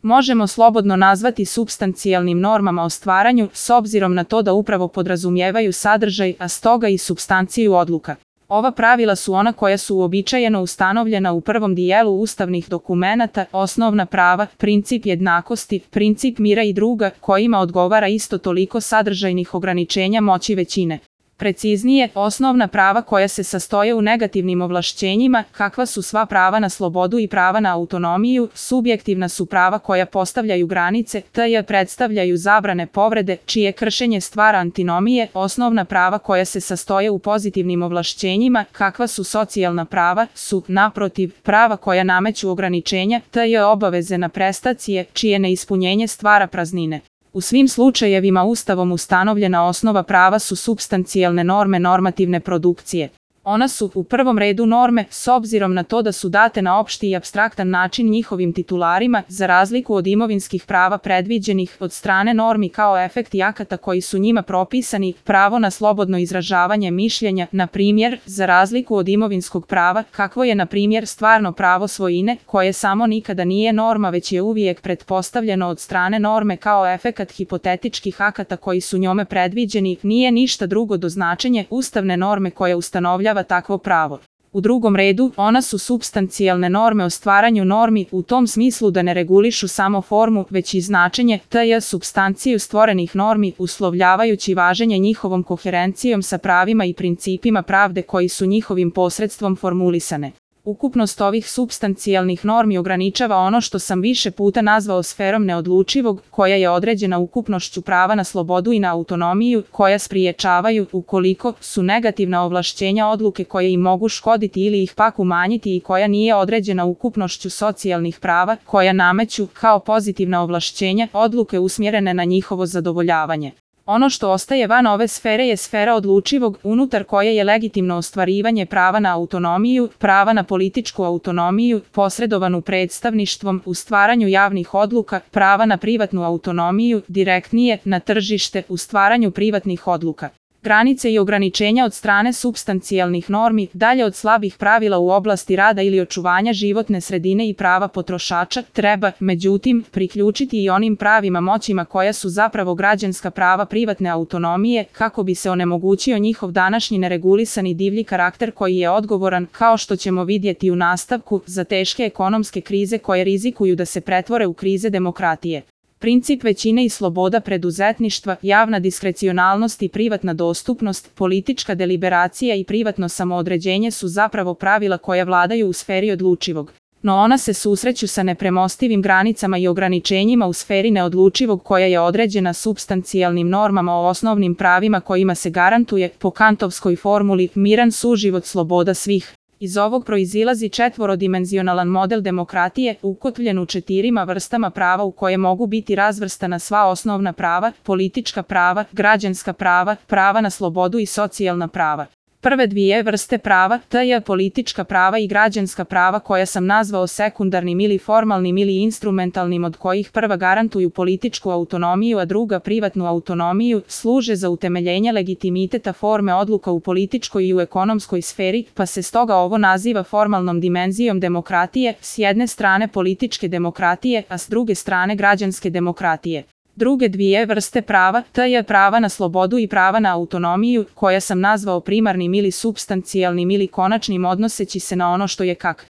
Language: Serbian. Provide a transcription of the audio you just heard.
možemo slobodno nazvati supstancijalnim normama o stvaranju, s obzirom na to da upravo podrazumijevaju sadržaj, a stoga i supstanciju odluka. Ova pravila su ona koja su uobičajeno ustanovljena u prvom dijelu ustavnih dokumenata, osnovna prava, princip jednakosti, princip mira i druga, kojima odgovara isto toliko sadržajnih ograničenja moći većine. Preciznije, osnovna prava koja se sastoje u negativnim ovlašćenjima, kakva su sva prava na slobodu i prava na autonomiju, subjektivna su prava koja postavljaju granice, tj. predstavljaju zabrane povrede, čije kršenje stvara antinomije, osnovna prava koja se sastoje u pozitivnim ovlašćenjima, kakva su socijalna prava, su, naprotiv, prava koja nameću ograničenja, tj. obaveze na prestacije, čije neispunjenje stvara praznine. U svim slučajevima Ustavom ustanovljena osnova prava su supstancijalne norme normativne produkcije. Ona su, u prvom redu, norme, s obzirom na to da su date na opšti i apstraktan način njihovim titularima, za razliku od imovinskih prava predviđenih od strane normi kao efekti akata koji su njima propisani, pravo na slobodno izražavanje mišljenja, na primjer, za razliku od imovinskog prava, kakvo je, na primjer, stvarno pravo svojine, koje samo nikada nije norma već je uvijek pretpostavljeno od strane norme kao efekat hipotetičkih akata koji su njome predviđeni, nije ništa drugo do značenje ustavne norme koja ustanovlja takvo pravo. U drugom redu, ona su supstancijalne norme o stvaranju normi u tom smislu da ne regulišu samo formu, već i značenje, tj. supstanciju stvorenih normi, uslovljavajući važenje njihovom koherencijom sa pravima i principima pravde koji su njihovim posredstvom formulisane. Ukupnost ovih supstancijalnih normi ograničava ono što sam više puta nazvao sferom neodlučivog, koja je određena ukupnošću prava na slobodu i na autonomiju, koja spriječavaju, ukoliko su negativna ovlašćenja odluke koje im mogu škoditi ili ih pak umanjiti i koja nije određena ukupnošću socijalnih prava, koja nameću, kao pozitivna ovlašćenja, odluke usmjerene na njihovo zadovoljavanje. Ono što ostaje van ove sfere je sfera odlučivog, unutar koje je legitimno ostvarivanje prava na autonomiju, prava na političku autonomiju, posredovanu predstavništvom u stvaranju javnih odluka, prava na privatnu autonomiju, direktnije, na tržište, u stvaranju privatnih odluka. Granice i ograničenja od strane supstancijalnih normi, dalje od slabih pravila u oblasti rada ili očuvanja životne sredine i prava potrošača, treba, međutim, priključiti i onim pravima moćima koja su zapravo građanska prava privatne autonomije, kako bi se onemogućio njihov današnji neregulisani divlji karakter koji je odgovoran, kao što ćemo vidjeti u nastavku, za teške ekonomske krize koje rizikuju da se pretvore u krize demokratije. Princip većine i sloboda preduzetništva, javna diskrecionalnost i privatna dostupnost, politička deliberacija i privatno samoodređenje su zapravo pravila koja vladaju u sferi odlučivog. No ona se susreću sa nepremostivim granicama i ograničenjima u sferi neodlučivog koja je određena supstancijalnim normama o osnovnim pravima kojima se garantuje, po kantovskoj formuli, miran suživot sloboda svih. Iz ovog proizilazi četvorodimenzionalan model demokratije, ukotvljen u 4 vrstama prava u koje mogu biti razvrstana sva osnovna prava, politička prava, građanska prava, prava na slobodu i socijalna prava. Prve 2 vrste prava, tj. politička prava i građanska prava koja sam nazvao sekundarnim ili formalnim ili instrumentalnim, od kojih prva garantuju političku autonomiju a druga privatnu autonomiju, služe za utemeljenje legitimiteta forme odluka u političkoj i u ekonomskoj sferi, pa se stoga ovo naziva formalnom dimenzijom demokratije, s jedne strane političke demokratije, a s druge strane građanske demokratije. Druge 2 vrste prava, tj. prava na slobodu i prava na autonomiju, koja sam nazvao primarnim ili supstancijalnim ili konačnim odnoseći se na ono što je